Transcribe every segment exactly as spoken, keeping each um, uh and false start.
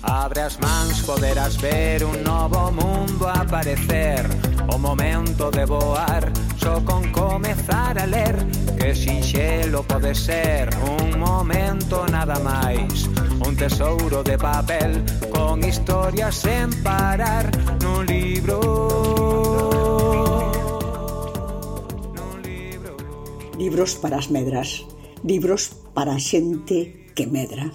Abre as mans, poderás ver un novo mundo aparecer. O momento de voar, só con comezar a ler. Que sinxelo pode ser, un momento nada máis. Un tesouro de papel, con historias sen parar. Nun libro, nun libro. Libros para as medras, libros para a xente que medra.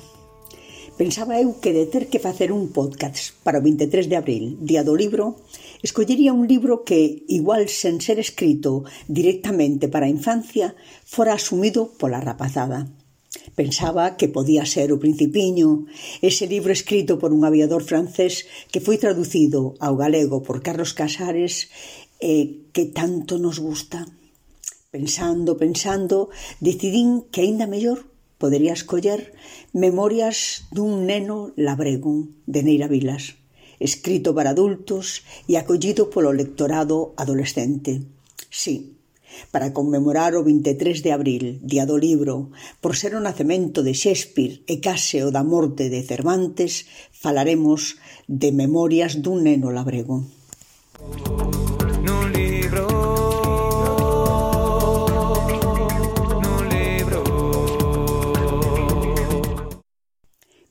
Pensaba eu que de ter que facer un podcast para o vinte e tres de abril, día do libro, escollería un libro que, igual sen ser escrito directamente para a infancia, fora asumido pola rapazada. Pensaba que podía ser O Principiño, ese libro escrito por un aviador francés que foi traducido ao galego por Carlos Casares e que tanto nos gusta. Pensando, pensando, decidín que aínda mellor podería escoller Memorias dun neno labrego, de Neira Vilas, escrito para adultos e acollido polo lectorado adolescente. Sí, para conmemorar o vinte e tres de abril, día do libro, por ser o nacemento de Shakespeare e case o da morte de Cervantes, falaremos de Memorias dun neno labrego. Nun libro.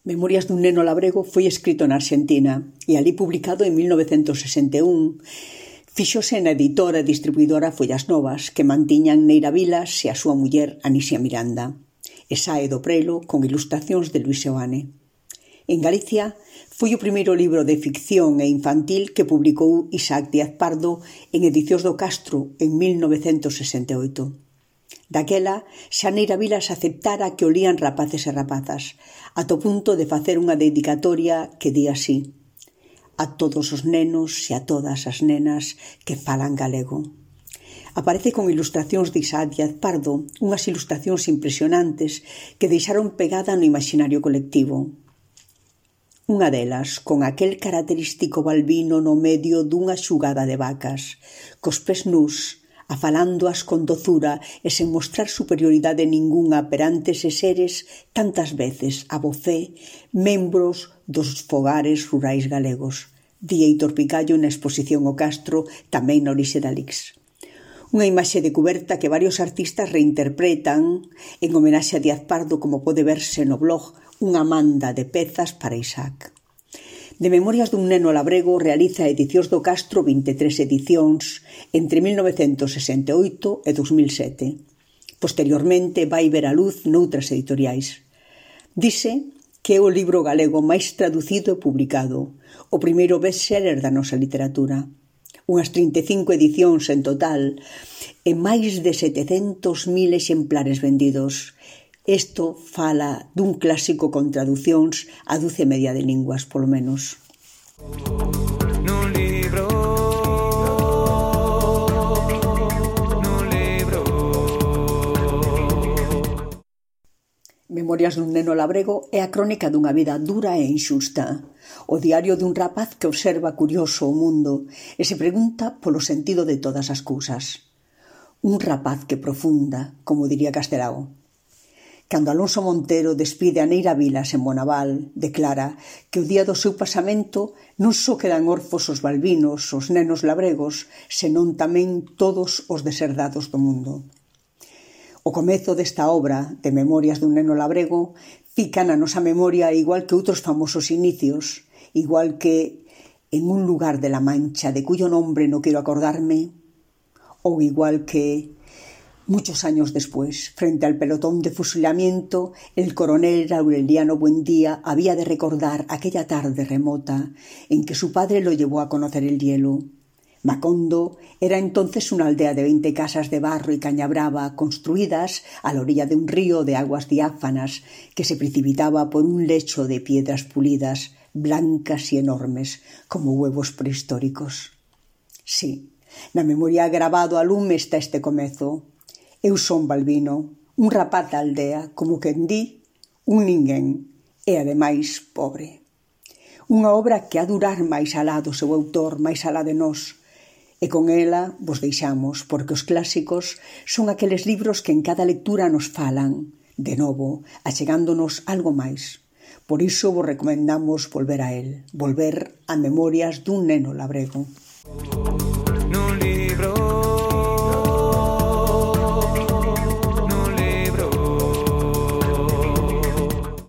Memorias dun neno labrego foi escrito na Argentina e ali publicado en mil novecentos sesenta e un. Fíxose na editora e distribuidora Follas Novas, que mantiñan Neira Vilas e a súa muller Anisia Miranda. E sae do prelo con ilustracións de Luis Seoane. En Galicia foi o primeiro libro de ficción e infantil que publicou Isaac Díaz Pardo en Edicións do Castro en mil novecentos sesenta e oito. Daquela, xa Neira Vilas aceptara que o lían rapaces e rapazas, ata o punto de facer unha dedicatoria que di así: a todos os nenos e a todas as nenas que falan galego. Aparece con ilustracións de Isaac Díaz Pardo, unhas ilustracións impresionantes que deixaron pegada no imaginario colectivo. Unha delas, con aquel característico balbino no medio dunha xugada de vacas, cos pés nus, afalándoas con dozura e sen mostrar superioridade ningunha perante eses seres tantas veces a vocé membros dos fogares rurais galegos, di Heitor Picallo na exposición O Castro, tamén na orixe da Lix. Unha imaxe de cuberta que varios artistas reinterpretan en homenaxe a Díaz Pardo, como pode verse no blog Unha manda de pezas para Isaac. De Memorias dun neno labrego realiza Edicións do Castro vinte e tres edicións entre mil novecentos sesenta e oito e dos mil sete. Posteriormente vai ver a luz noutras editoriais. Dice que é o libro galego máis traducido e publicado, o primeiro bestseller da nosa literatura. Unhas trinta e cinco edicións en total e máis de setecentos mil exemplares vendidos. Isto fala dun clásico con traducións a doce media de linguas, polo menos. Nun libro, nun libro. Memorias dun neno labrego é a crónica dunha vida dura e inxusta. O diario dun rapaz que observa curioso o mundo e se pregunta polo sentido de todas as cousas. Un rapaz que profunda, como diría Castelao. Cando Alonso Montero despide a Neira Vilas en Bonaval, declara que o día do seu pasamento non só quedan orfos os balbinos, os nenos labregos, senón tamén todos os deserdados do mundo. O comezo desta obra, de Memorias dun neno labrego, fica na nosa memoria igual que outros famosos inicios, igual que En un lugar de la Mancha de cuyo nombre no quiero acordarme, ou igual que muchos años después, frente al pelotón de fusilamiento, el coronel Aureliano Buendía había de recordar aquella tarde remota en que su padre lo llevó a conocer el hielo. Macondo era entonces una aldea de veinte casas de barro y caña brava construidas a la orilla de un río de aguas diáfanas que se precipitaba por un lecho de piedras pulidas, blancas y enormes, como huevos prehistóricos. Sí, na memoria grabado a lume está este comezo. Eu son Balbino, un rapaz da aldea, como quen di, un ninguén, e ademais pobre. Unha obra que ha durar máis alá do seu autor, máis alá de nós, e con ela vos deixamos, porque os clásicos son aqueles libros que en cada lectura nos falan, de novo, achegándonos algo máis. Por iso vos recomendamos volver a el, volver a Memorias dun neno labrego. Nun libro